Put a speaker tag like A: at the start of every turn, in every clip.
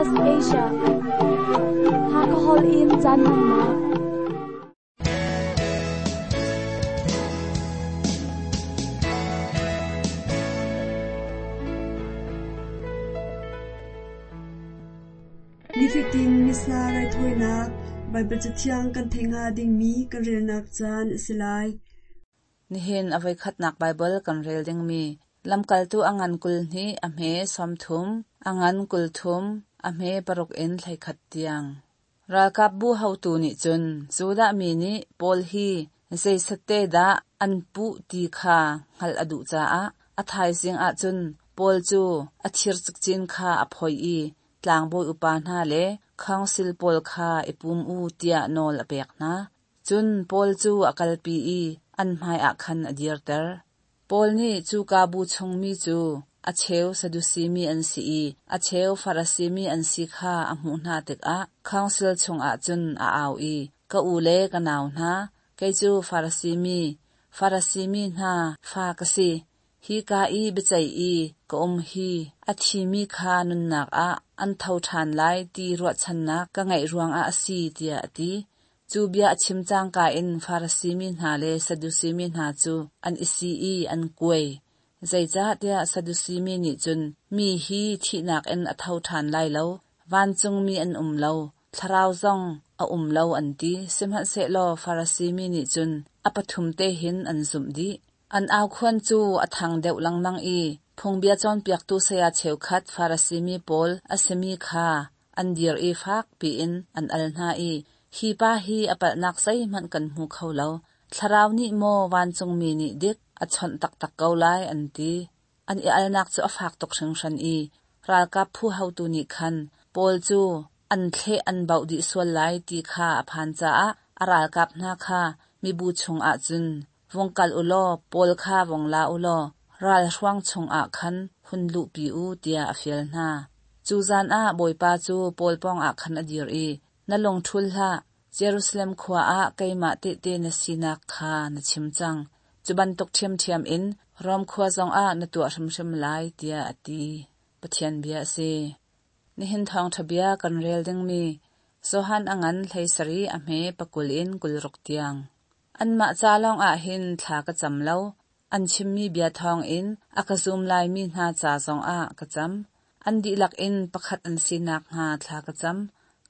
A: Southwest Asia. Hakha holh in caan hmannak.
B: Nifatin Missa raithawinak Baibal Cathiang kan theih hnga dingmi kan relnak caan a si lai.
C: Nihin a voikhatnak Baibal kan rel dingmi Lamkaltu a ngan 22 a hme 30, a ngan 30, a hme paruk in 11 tiang. Ralkapbu haotu nih cun Judah mi nih Paul hi zeisatte dah an puh ti kha hngalh a duh caah a thaizing ah cun Paul cu a thir cikcin kha a phoih i tlangbawi upa hna le khawngsil pawl kha i pum u tiah nawl a pek hna. Cun Paul cu a kalpi i an hmaiah khan a dirter. Paul nih cuka bu chungmi cu a cheu Sadusi mi an si i a cheu Farasi mi an si kha a hmuh hna tikah khawngsil chungah cun a au i, Ka u le ka nau hna, kei cu Farasi mi, Farasi mi hna fa ka si. Hika i biaceih i ka um hi a thimi kha nunnak ah an tho ṭhan lai ti ruahchannak ka ngeih ruangah a si, tiah a ti. Cu bia a chim cangka in Farasi mi hna le Sadusi mi hna cu an i si i an kuai. Zeicahtiah Sadusi mi nih cun mi hi thihnak in a tho ṭhan lai lo, vancungmi an um lo, thlarau zong a um lo an ti. Sihmanhsehlaw Farasi mi nih cun a pathum te hin an zumh dih. An aukhuan cu a thang deuh lengmang i phungbia cawnpiaktu saya cheukhat Farasi mi pawl a simi kha an dir i fak piin an al hna i, Hi pa hi a palhnak zeihmanh kan hmu kho lo. Thlarau nih maw vancungmi nih dik a chawnh taktak ko lai, an ti. An i alnak cu a fak tuk hringhran i ralkap phu haotu nih khan Paul cu an thleh an bauh dih sual lai ti kha a phan caah a ralkap hna kha mibu chungah cun vung kal u law Paul kha vung la u law ralhruang chungah khan hun luhpi u tiah a fial hna. Cu zan ah Bawipa cu Paul pawngah khan a dir i, Na lung ṭhul hlah, Jerusalem khua ah keimah tehte na sinak kha na chim cang. Cu bantuk ṭhiamṭhiam in Rom khua zongah na tuah hrimhrim lai, tiah a ti. Pathian bia a si. Nihin thawngṭha bia kan rel dingmi Johan a ngan 17 a hme 20 in 26 tiang. Anmah ca lawngah hin thla ka cam lo, an chimmi bia thawngin a ka zum laimi hna ca zongah ka cam. An dihlak in pakhat an si nakhnga thla ka cam.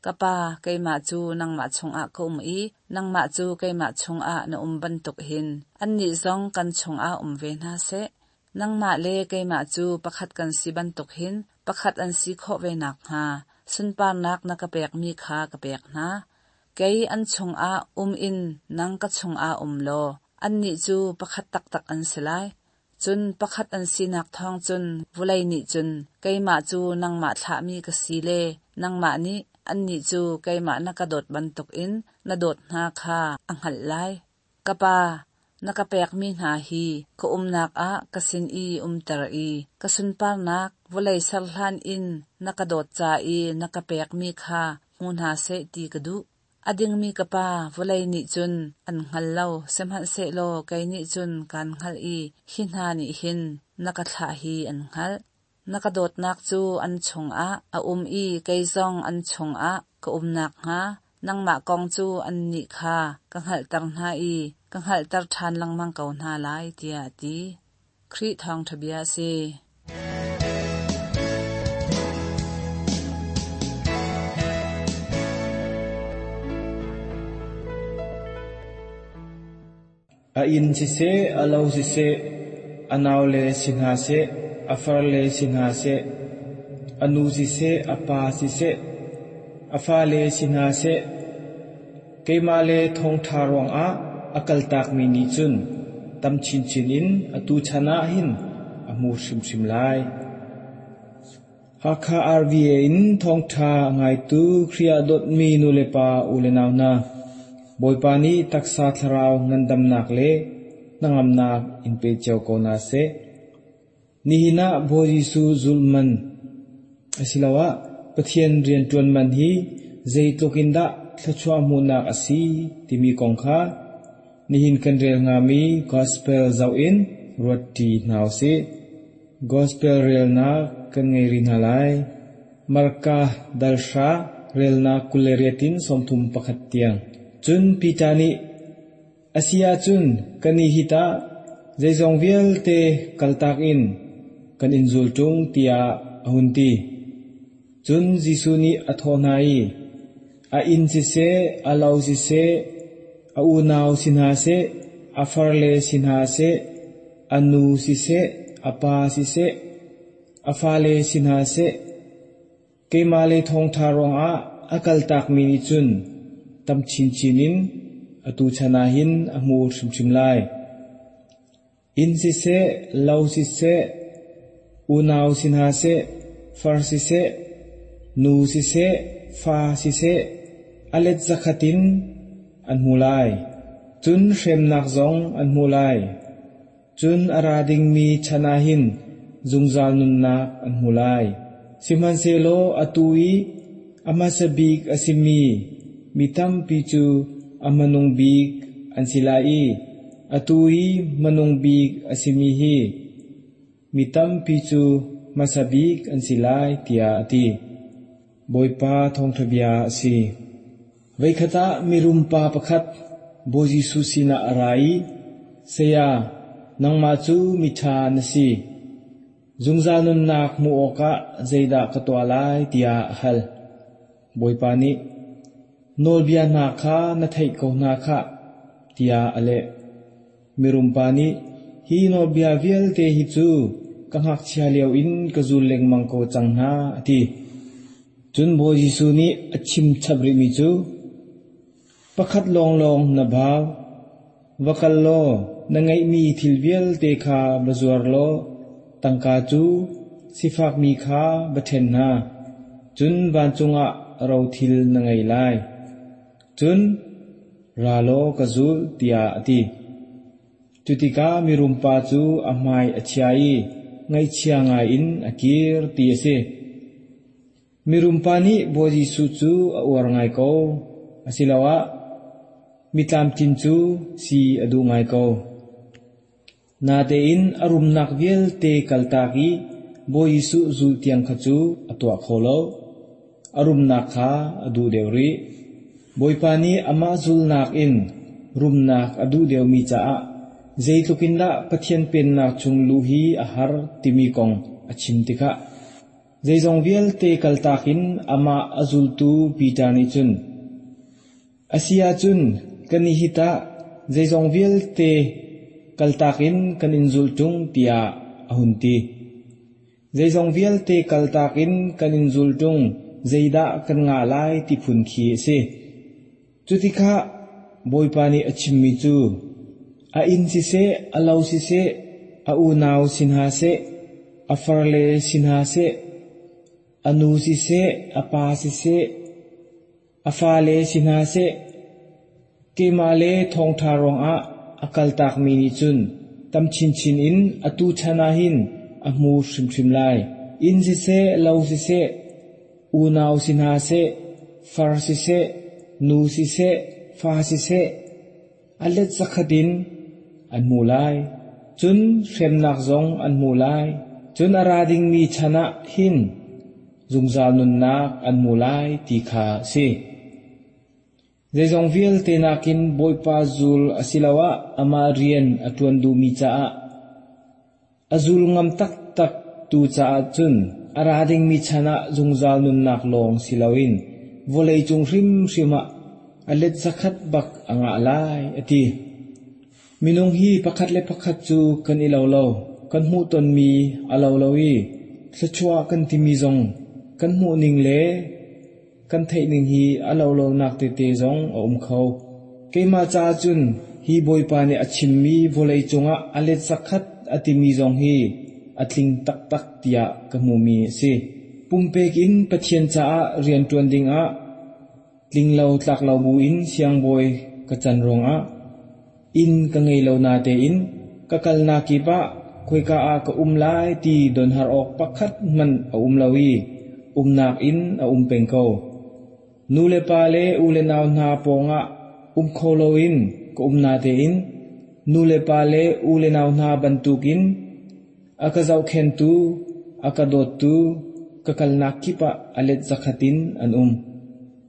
C: Ka Pa, keimah cu nangmah chungah ka um i nangmah cu keimah chungah na um bantuk hin annih zong kan chungah um ve hna seh. Nangmah le keimah cu pakhat kan si bantuk hin pakhat an si khawh ve nakhnga sunparnak na ka pekmi kha ka pek hna. Kei an chungah um in nang ka chungah um law annih cu pakhat taktak an si lai. Cun pakhat an sinak thawng cun vawlei nih cun keimah cu nangmah thlahmi ka si le nangmah nih annih cu keimah na ka dawt bantukin na dawt hna kha a hngalh lai. Ka Pa, na ka pekmi hna hi ka umnak ah ka sin i umter i ka sunparnak vawlei ser hlan in na ka dawt ca i na ka pekmi kha hmu hna seh ti ka duh. A dingmi ka Pa, vawlei nih cun an hngal lo, sihmanhsehlaw kei nih cun kaan hngalh i hi hna nih hin na ka thlah hi an hngalh. Na ka dawtnak cu an chungah a um i kei zong an chungah ka um nakhnga nangmah kong cu annih kha ka hngalhter hna i ka hngalhter ṭhan lengmang ko hna lai, tiah a ti. Khrih Thawngṭha Bia a si.
D: A inn siseh, a lo siseh, a naule si hna seh, a farle si hna seh, a nu siseh, a pa siseh, a fale si hna seh, keimah le thawngṭha ruangah a kaltakmi nih cun tam chinchin in atu chan ah hin a hmu hrimhrim lai. Hakha RVA in thawngṭha a ngaitu Khrih ah dawtmi nulepa ulenau hna, Bawipa nih taksa thlarau ngandamnak le hnangamnak in pe cio ko hna seh. Nihin ah Bawi Jesuh zulh man asiloah Pathian rianṭuan man hi zeitluk in dah thluachuah hmuhnak a si timi kong kha nihin kan rel hngami Gospel zoh in ruatṭi hna u sih. Gospel relnak kan ngei rih hna lai. Marka dal hra relnak 28 in 31 tiang. Cun Peter nih, A si ahcun kannih hi tah zeizong vialte kaltak in kan in zul ṭung tiah a hun ti. Cun Jesuh nih a thawh hna i, A inn siseh, a lo siseh, a unau si hna seh, a farle si hna seh, a nu siseh, a pa siseh, a fale si hna seh, keimah le thawngṭha ruangah a kaltakmi nih cun tam chinchin in atu chan ah hin a hmu hrimhrim lai. Inn siseh, lo siseh, unau si hna seh, far siseh, nu siseh, fa siseh, a let zakhat in an hmu lai. Cun hremnak zong an hmu lai. Cun a ra dingmi chan ah hin zungzal nunnak an hmu lai. Sihmanhsehlaw atu i a hmasa bik a simi mi tampi cu a hmanung bik an si lai i atu i hmanung bik a simi hi mi tampi cu hmasa bik an si lai, tiah a ti. Bawipa thawngṭha bia a si. Voikhat ah mirum pa pakhat Bawi Jesuh sinah a ra i, Saya, nangmah cu miṭha na si. Zungzal nunnak hmuh awkah zeidah ka tuah lai tiah a hal. Bawipa nih, Nawlbia hna kha na theih ko hna khah, tiah a leh. Mirum pa nih, Hi nawlbia vialte hi cu ka ngakchia lio in ka zul lengmang ko cang hna, a ti. Cun Bawi Jesuh nih a chim chap rihmi cu, Pakhat lawnglawng na bau. Va kal law na ngeihmi thil vialte kha va zuar law tangka cu sifakmi kha va ṭhen hna, cun vancung ah rothil na ngei lai. Cun, ra law ka zul, tiah a ti. Cu tikah mirum pa cu a hmai a chia i ngaihchia ngaiin a kir ti a si. Mirum pa nih Bawi Jesuh cu a uar ngai ko, asiloah mi tlamtlin cu si a duh ngai ko. Natein a rumnak vialte kaltak i Bawi Jesuh zulh tiang kha cu a tuah kho lo. A rumnak kha a duh deuh rih. Bawipa nih amah zulnak in rumnak a duh deuhmi caah zeitluk in dah Pathian Pennak chung luh hi a har timi kong a chim tikah zeizong vialte kaltak in amah a zultu Peter nih cun A si ahcun kan i hi tah zeizong vialte kaltak in kan in zulh ṭung tiah a hun ti. Zeizong vialte kaltak in kan in zul ṭung, zeidah kan ngah lai ti phun khi a si. Cutikah Bawipa nih a chimmi cu, a inn siseh, a lo siseh, a unau si hna seh, a farle si hna seh, a nu siseh, a pa siseh, A fale si hna seh, keimah le thawngṭha ruangah a kaltakmi nih cun tam chinchin in atu chan ah hin a hmu hrimhrim lai. Inn siseh, lo siseh, unau si hna seh, far siseh, nu siseh, fa siseh, a let zakhat in an hmu lai. Cun hremnak zong an hmu lai. Cun a ra dingmi chan ah hin zungzal nunnak an hmu lai ti kha a si. Zeizong vialte nakin Bawipa zul asiloah amah rian a ṭuan duhmi caah a zul ngam taktak tu caah cun a ra dingmi chan ah zungzal nunnak lawng si loin vawleicung hrimhrim ah a let zakhat bak a ngah lai a ti. Minung hi pakhat le pakhat cu kan i lo lo. Kan hmuhtonmi a lo lo i thluachuah kan timi zong kan hmuhning le kan theihning hi a lo lonak tete zong a um kho. Keimah caah cun hi Bawipa nih a chimmi vawlei cungah a let zakhat a timi zong hi a tling taktak tiah ka hmumi a si. Pumpek in Pathian caah rianṭuan dingah Tlinglo tlaklo buin siangbawi ka can ruangah inn ka ngei lo natein ka kalnak kip ah khoika ah ka um lai ti donhar awk pakhat hmanh a um lo i umnak inn a um peng ko. Nu le pa le u le nau hna pawngah um kho loin ka um natein nu le pa le u le nau hna bantukin a ka zohkhentu, a ka dawttu, ka kalnak kip ah a let zakhat in an um.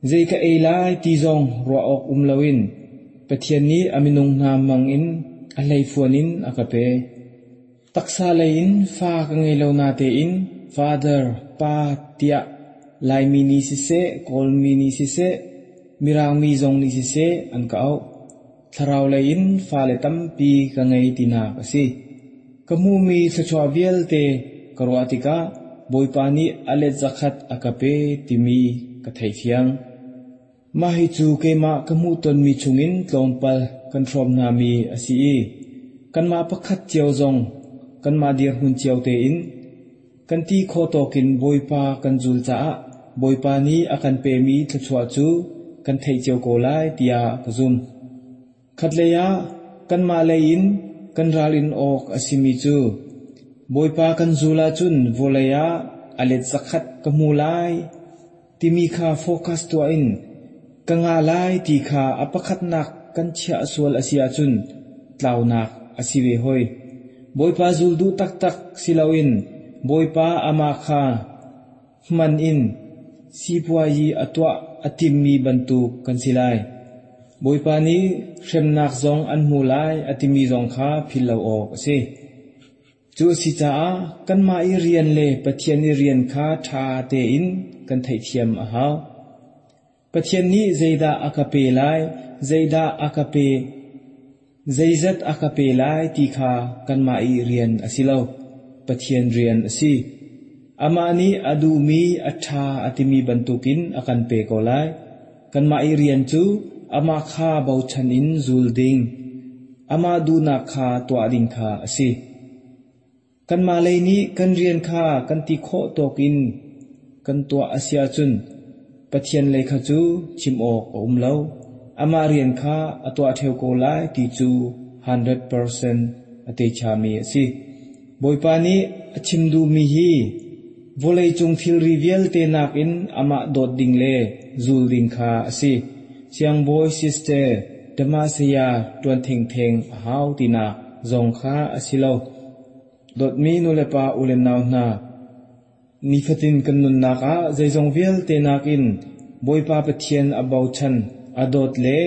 D: Zei ka ei lai ti zong ruah awk um loin Pathian nih a minung hna hmang in a hleifuan in a ka pe. Taksa lei in fa ka ngei lo natein Father, Pa tiah Laimi nih siseh, Kawlmi nih siseh, Mirang mi zong nih siseh an ka auh. Thlarau lei in fale tampi ka ngei tinak a si. Ka hmuhmi thluachuah vialte ka ruah tikah Bawipa nih a let zakhat a ka pe timi ka theifiang. Mah hi cu keimah ka hmuhtonmi chungin tlawmpal kan hrawm hnami a si i kanmah pakhat cio zong kanmah dirhmun cio tein kan ti khawh tawkin Bawipa kan zul caah Bawipa nih a kan pemi thluachuah cu kan theih cio ko lai tiah ka zumh. Khatlei ah kanmah lei in kan ralrin awk a simi cu Bawipa kan zul ahcun vawlei ah a let zakhat ka hmu lai timi kha focus tuah in ka ngah lai ti kha a pakhatnak kan chiah sual a si ahcun tlaunak a si ve hoi. Bawipa zul duh taktak si loin Bawipa amah kha hman in sipuayi a tuah a timmi bantuk kan si lai. Bawipa nih hremnak zong an hmu lai a timi zong kha philh lo awk a si. Cu a si caah kanmah i rian le Pathian i rian kha ṭha tein kan theihthiam a hau. Pathian nih zeidah a ka pe lai, zeidah a ka pe, zeizat a ka pe lai ti kha kanmah i rian a si lo. Pathian rian a si. Amah nih a duhmi a ṭha a timi bantukin a kan pe ko lai. Kanmah i rian cu amah kha bochan in zul ding, amah duhnak kha tuah ding kha a si. Kanmah lei nih kan rian kha kan ti khawh tawk in kan tuah a si ahcun Pathian lei kha cu chim awk a um lo. Amah rian kha a tuah ṭheo ko lai ti cu 100% a techami a si. Bawipa nih a chim duhmi hi vawleicung thilri vialte nakin amah dawt ding le zul ding kha a si. Siangbawi sister Damasaya ṭuan thengtheng a hau tinak zong kha a si lo. Dawtmi nulepa ulenau hna, nifatin kan nunnak ah zeizong vialte nakin Bawipa Pathian a bochan, a dawt le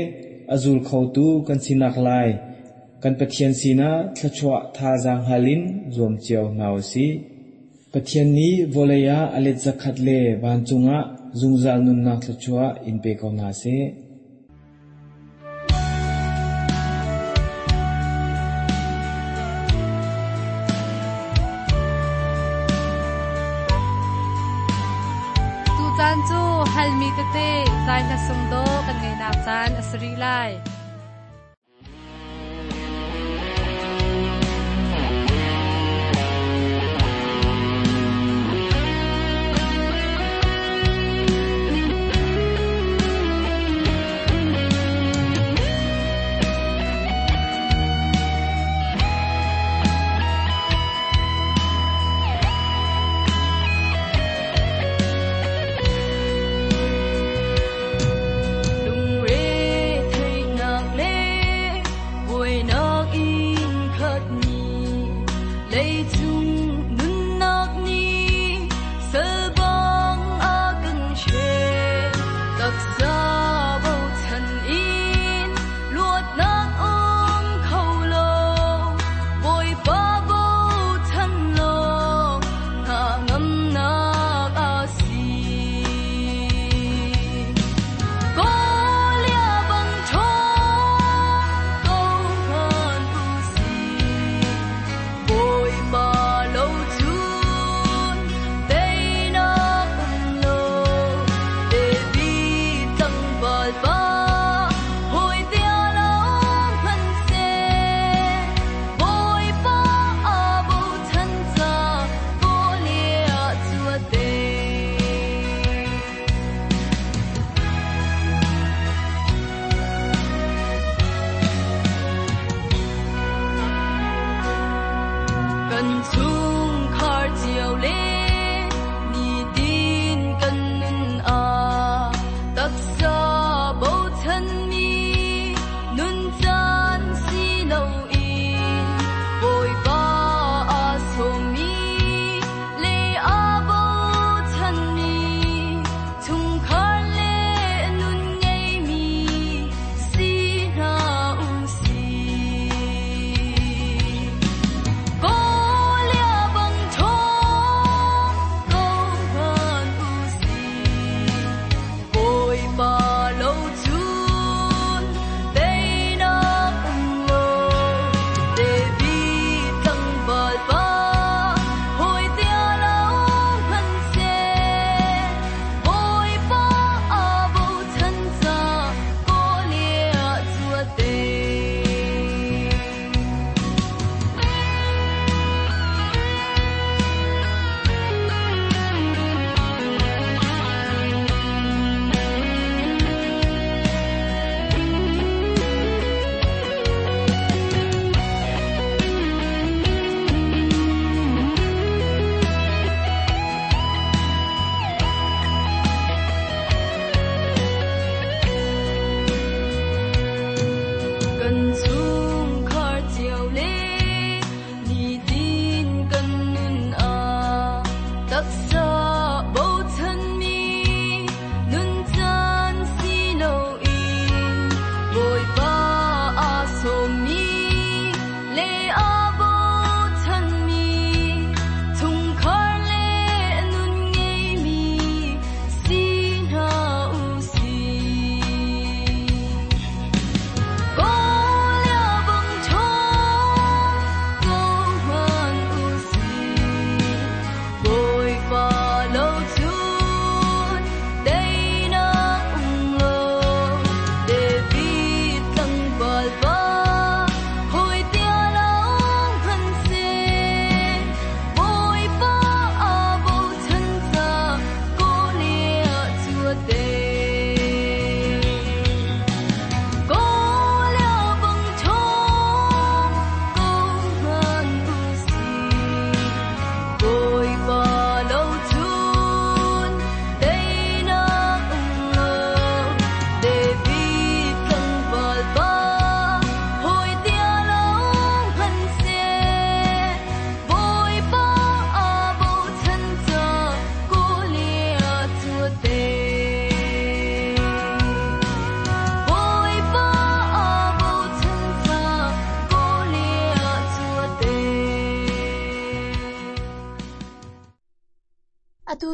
D: a zul khotu kan sinak lai kan Pathian sinah thluachuah thazaang hal in zuam cio hna u sih. Pathian nih vawlei ah a let zakhat le vancung ah zungzal nunnak thluachuah in pe ko hna seh.
E: Tucaan cu halmi tete zai hla sung dawh kan ngeihnak caan a si rih lai.
F: Lungre theihnak.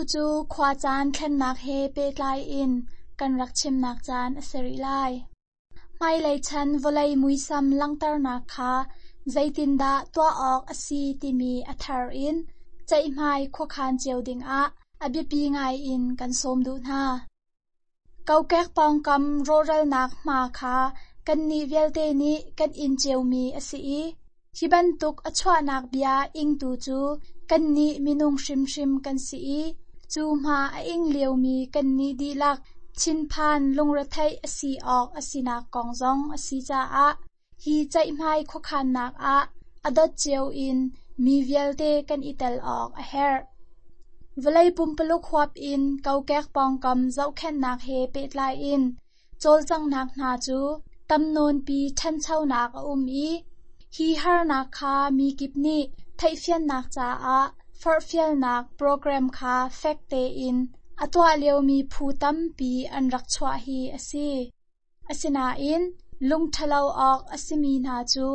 A: Atu cu khuacaan thlennak he pehtlai in kan rak chimnak caan a si rih lai. Hmailei chan vawlei muisam langhternak kha zeitindah tuah awk a si timi a thar in ceihmai khuakhan cio dingah a biapi ngai in kan sawm duh hna. Kokek pawngkam rawhralnak hma kha kannih vialte nih kan in ciomi a si i hi bantuk a chuahnak bia ingtu cu kannih minung hrimhrim kan si i cu hma a ing liomi kannih dihlak thinphan lungretheih a si awk a sinak kong zong a si caah hi ceihmai khuakhannak ah a dot cio in mi vialte kan i tel awk a herh. Vawlei pumpuluk huap in kokek pawngkam zohkhenhnak he pehtlai in cawlcanghnak hna cu tam nawnpi ṭhanchonak a um i hi harnak kha mi kip nih theihfiannak caah forhfialnak program kha fek tein a tuah liomi phu tampi an rak chuah hi a si. Asinain lungṭhalo awk a simi hna cu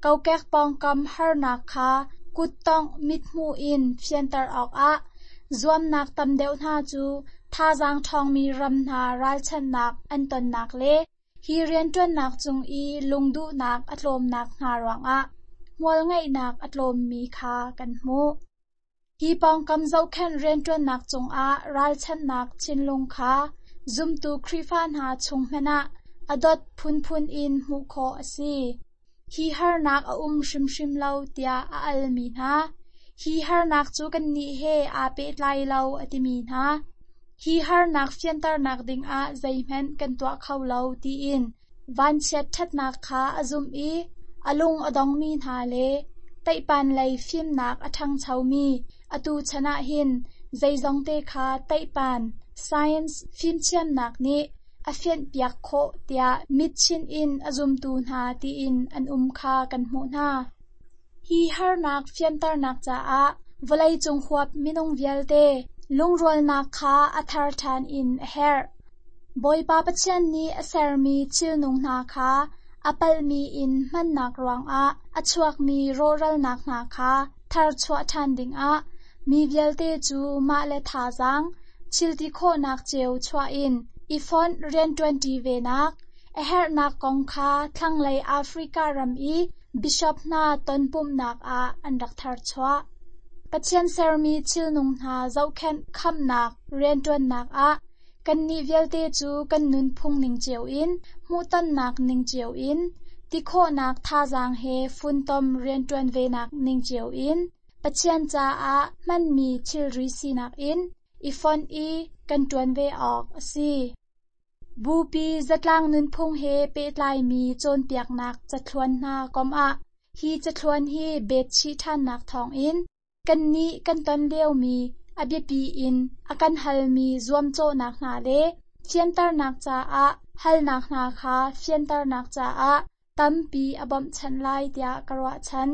A: kokek pawngkam harnak kha kuttongh mithmuh in fianter awkah zuamnak tam deuh hna cu thazaang ṭhawngmi ram hna ralchanhnak an tonnak le hi rianṭuannak cung i lungduhnak a tlawmnak hna ruangah hmualngeihnak a tlawmmi kha kan hmuh. Hi pawngkam zohkhenh rianṭuannak cungah ralchanhnak thinlung kha zumtu Khrihfa hna chung hmanh ah a dot phunphun in hmuh khawh a si. Hi harnak a um hrimhrim lo tiah a almi hna, hi harnak cu kannih he aa pehtlai lo a timi hna, hi harnak fianternak dingah zeihmanh kan tuah kho lo tiin vanchiat ṭhatnak kha a zumh i a lung a dongmi hna le teihpan lei fimnak a ṭhangchomi atu chan ah hin zeizongte kha teihpan science fimthiamnak nih a fianhpiak khawh tiah mitchinh in a zumtu hna tiin an um kha kan hmuh hna. Hi harnak fianternak caah vawleicung huap minung vialte lungrualnak kha a thar ṭhan in a herh. Bawipa Pathian nih a sermi thilnung hna kha a palhmi in hmannak ruangah a chuakmi rawhralnak hna kha tharchuah ṭhan dingah mi vialte cu mah le thazaang thilti khawhnak cio chuah in i fonh rianṭuanṭi venak a herhnak kong kha thlanglei Africa ram i bishop hna tonpumhnak ah an rak tharchuah. Pathian sermi thilnung hna zohkhenh khamhnak rianṭuannak ah kannih vialte cu kan nunphung ning cio in hmuhtonnak ning cio in tikhawhnak thazaang he funtom rianṭuan venak ning cio in Pathian caah hmanmi thilri sinak in i fonh i kan ṭuan ve awk a si. Bupi zatlang nunphung he pehtlaimi cawnpiaknak cathluan hna kom ah hi cathluan hi betchih ṭhannak thawngin kannih kan ton liomi a biapi in a kan halmi zuamcawhnak hna le fianternak caah halnak hna kha fianternak caah tampi a bawmhchanh lai tiah ka ruahchan.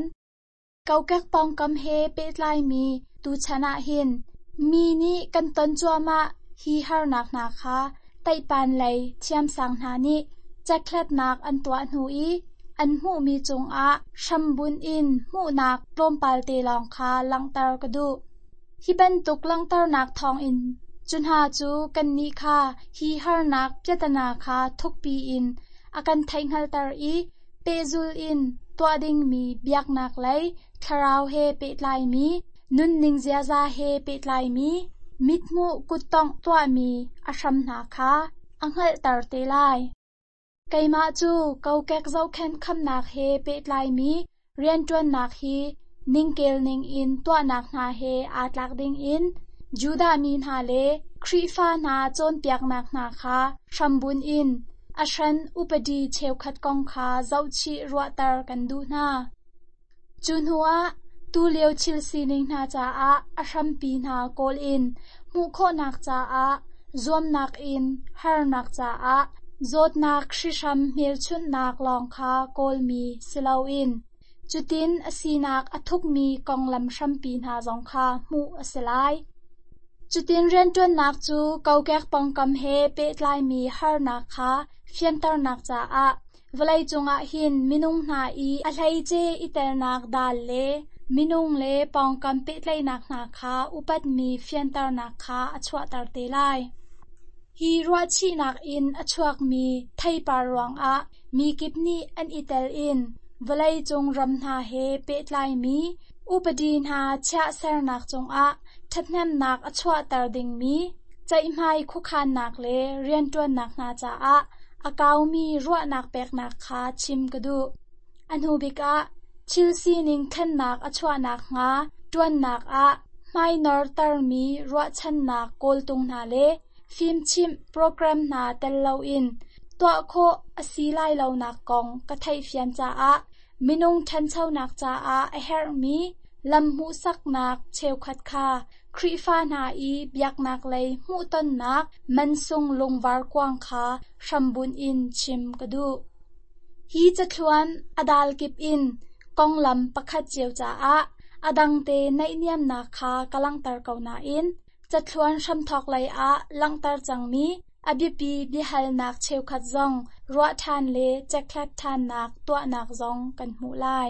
A: Kokek pawngkam he pehtlaimi tuchan ah hin mi nih kan ton cuahmah hi harnak hna kha teihpan lei thiamsang hna nih cekhlatnak an tuah hnu i an hmuhmi cungah hrambunh in hmuhnak tlawmpal te lawng kha langhter ka duh. Hi bantuk langhternak thawngin cu hna cu kannih kha hi harnak piatana kha thukpi in a kan theihhngalhter i pehzul in tuah dingmi biaknak lei thlarau he pehtlaimi, nunning ziaza he pehtlaimi, mithmuh kuttongh tuahmi a hram hna kha a hngalhter te lai. Keimah cu kokek zohkhenh khamnak he pehtlaimi rianṭuannak hi ningkel ningin tuahnak hna he aa tlak dingin Judah mi hna le Khrihfa hna cawnpiaknak hna kha hrambunh in a hran upadi cheukhat kong kha zohchih ruahter kan duh hna. Cu hnuah tulio thil sining hna caah a hrampi hna kawl in hmuh khawhnak caah zuamnak in harnak caah zawtnak hrihhram hmelchunhnak lawng kha kawlmi si loin cutin a sinak a thukmi konglam hrampi hna zong kha hmuh a si lai. Cutin rianṭuannak cu kokek pawngkam he pehtlaimi harnak kha fianternak caah vawleicung ah hin minung hna i a hleice i telnak dal le Minung le pawngkam pehtlaihnak hna kha upatmi fianternak kha a chuahter te lai. Hi ruahchihnak in a chuakmi theipar ruangah mi kip nih an i tel in vawleicung ram hna he pehtlaimi upadi hna chiah sernak cungah ṭhathnemnak a chuahter dingmi ceihmai khuakhannak le rianṭuannak hna caah a kaumi ruahnak peknak kha chim ka duh. A hnu bik ah, thil sining thlennak a chuah nakhnga ṭuannak ah hmainortermi ruahchannak kawltung hna le fimchimh program hna tel loin tuah khawh a si lai lonak kong ka theihfian caah minung ṭhanchonak caah a herhmi lam hmuhsaknak cheukhat kha Khrihfa hna i biaknak lei hmuhtonnak mansung lungvar kuang kha hrambunh in chim ka duh. Hi cathluan a dal kip in konglam pakhat cio caah a dangte naihniamnak kha ka langhter ko nain cathluan hramthawk lei ah langhter cangmi a biapi biahalnak cheukhat zong ruah ṭhan le cekhlat ṭhannak tuahnak zong kan hmuh lai.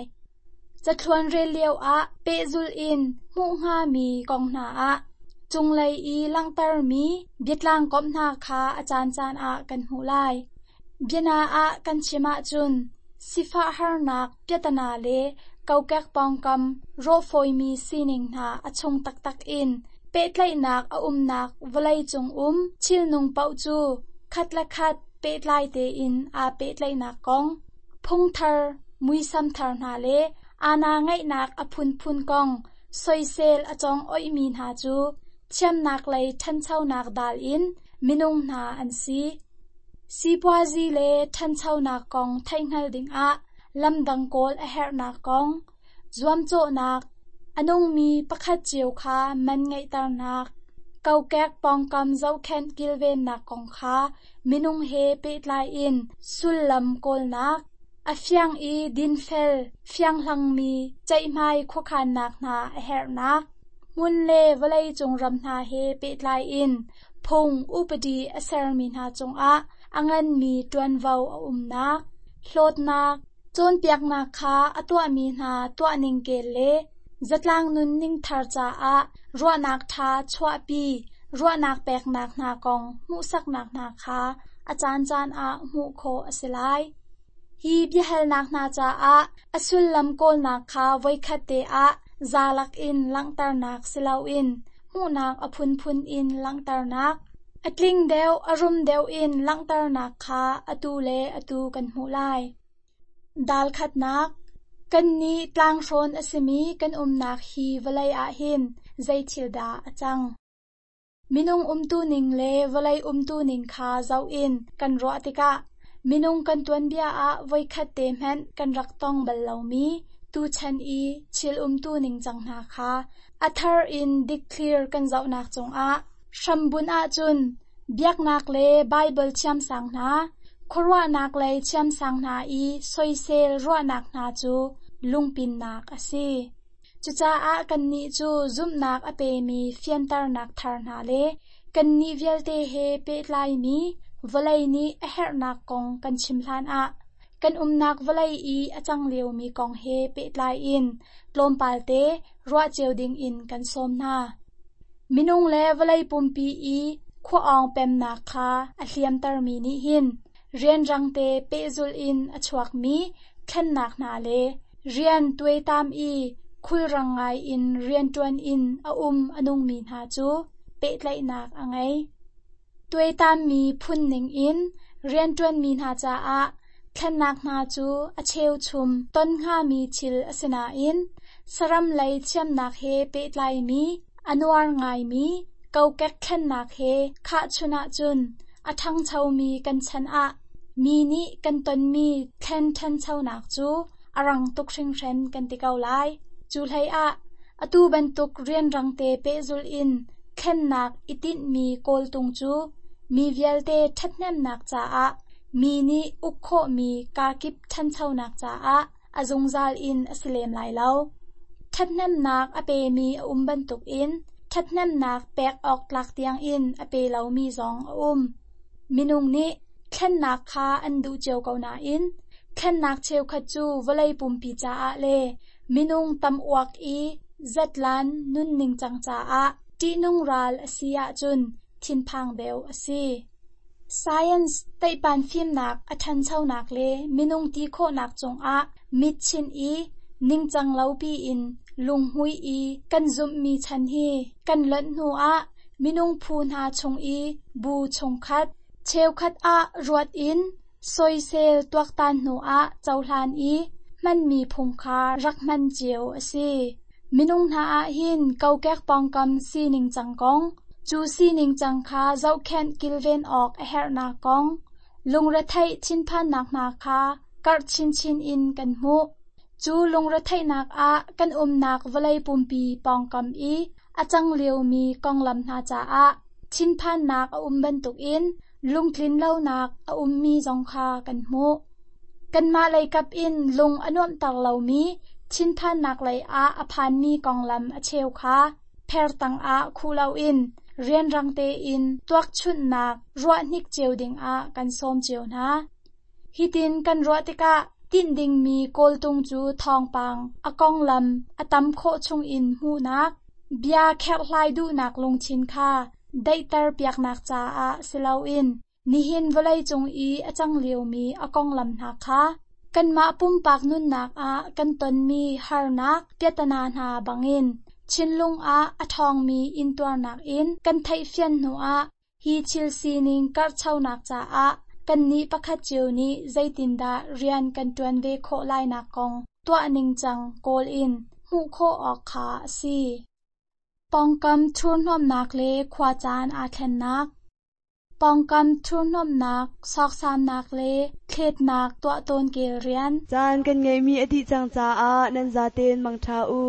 A: Cathluan rel lioah pehzulh in hmuh hngami kong hna ah cunglei i langhtermi biatlang komh hna kha a caancaan ah kan hmuh lai. Biana ah kan chim ahcun sifah harnak piatana le kokek pawngkam rawhfawimi sining hna a chung taktak in pehtlaihnak a umnak vawleicung um thilnung paoh cu khat le khat pehtlai tein aa pehtlaihnak kong, phungthar muisam thar hna le aana ngeihnak a phunphun kong soisel a cawng oihmi hna cu thiamnak lei ṭhanchonak dal in minung hna an si. Sipuazi le ṭhanchonak kong theihhngal dingah lamdang kawl a herhnak kong, zuamcawhnak, a nungmi pakhat cio kha man ngeihternak, kokek pawngkam zohkhenh kilvennak kong kha minung he pehtlai in sullam kawlnak, a fiang i dinfel fianghlangmi ceihmai khuakhannak hna a herhnak, hmun le vawleicung ram hna he pehtlai in phung upadi a sermi hna cungah a nganmi ṭuanvo a umnak, hlawtnak, cawnpiaknak kha a tuahmi hna tuahning kel le zatlang nunning thar caah ruahnak ṭha chuahpi ruahnak peknak hna kong hmuhsaknak hna kha a caancaan ah hmuh khawh a si lai. Hi biahalnak hna caah a sullam kawlnak kha voikhat te ah zalak in langhternak si loin hmuhnak a phunphun in langhternak, a tling deuh a rum deuh in langhternak kha atu le atu kan hmuh lai. Dal khatnak Kannih tlanghrawn a simi kan umnak hi vawlei ah hin zei thil dah a cang? Minung umtuning le vawlei umtuning kha zoh in kan ruah tikah minung kan tuanbia ah voikhat te hmanh kan rak tong bal lomi tuchan i thil umtuning cang hna kha a thar in dikthlir kan zohnak cungah hrambunh ahcun biaknak le Baibal thiamsang hna, khuaruahnak lei thiamsang hna i soisel ruahnak hna cu lungpinnak a si. Cucaah kannih cu zumhnak a pemi fianternak thar hna le kannih vialte he pehtlaimi vawlei nih a herhnak kong kan chim hlanah kan umnak vawlei i a cang liomi kong he pehtlai in tlawmpal te ruah cio dingin kan sawm hna. Minung le vawlei pumpi i khua-awng pemnak kha a hliamtermi nih hin rianrang te pehzulh in a chuakmi thlennak hna le rian tuaitam i khulrang ngai in rianṭuan in a um a nungmi hna cu pehtlaihnak a ngei. Tuaitammi phun ningin rianṭuanmi hna caah thlennak hna cu a cheuchum ton hngami thil a si nain saram lei thiamnak he pehtlaimi a nuar ngaimi kokek thlennak he khahchun ahcun a ṭhangchomi kan chan ah mi nih kan tonmi thlen ṭhanchonak cu a rang tuk hringhran kan ti ko lai. Cu hleiah atu bantuk rianrangte pehzulh in thlennak i tinhmi kawltung cu mi vialte ṭhathnemnak caah mi nih uk khawhmi kakip ṭhanchonak caah a zungzal in a si lem lai lo. Ṭhathnemnak a pemi a um bantukin ṭhathnemnak pek awk tlak tiangin a pe lomi zong a um. Minung nih thlennak kha an duh cio ko nain thlennak cheukhat cu vawlei pumpi caah le Minung tam uak i zatlan nunning cang caah ṭihnung ral a si ahcun thinphang deuh a si. Science teihpan fimnak a ṭhanchonak le minung ti khawhnak cungah mit chinh i ningcang lo piin lunghmui i kan zumhmi chan hi kan lonh hnuah minung phu hna chung i bu chungkhat cheukhat ah ruat in soisel tuaktan hnuah cohlan i hmanmi phung kha rak hman cio a si. Minung hna ah hin kokek pawngkam sining cang kong, cu sining cang kha zohkhenh kilven awk a herhnak kong, lungretheih thinphannak hna kha karh chinchin in kan hmuh. Cu lungretheihnak ah kan umnak vawlei pumpi pawngkam i a cang liomi konglam hna caah thinphannak a um bantukin lungtlin lonak a ummi zong kha kan hmuh. Kanmah leikap in lung a nuamhter lomi thinphannak lei ah a phanmi konglam a cheu kha pher tangah khuh loin rianrang tein tuakchunhnak ruahhnik cio dingah kan sawm cio hna. Hitin kan ruah tikah tinh dingmi kawltung cu thawngpang a konglam a tam khawh chungin hmuhnak, bia kherhhlai duhnak lungthin kha daihter piaknak caah si loin nihin vawleicung i a cang liomi a konglam hna kha kanmah pumpak nunnak ah kan tonmi harnak piatana hna bangin thinlung ah a ṭhawngmi intuarnak in kan theihfian hnuah hi thil sining karhchonak caah kannih pakhat cio nih zeitindah rian kan ṭuan ve khawh lainak kong tuah ningcang kawl in hmuh khawh awk kha a si. Pawngkam thurhnawmnak le khuacaan aa thlennak. Pawngkam thurhnawmnak, sawksamnak le thletnak tuah tawn kel rian.
B: Caan kan ngeihmi a dih cang caah nan zaten mangṭha u.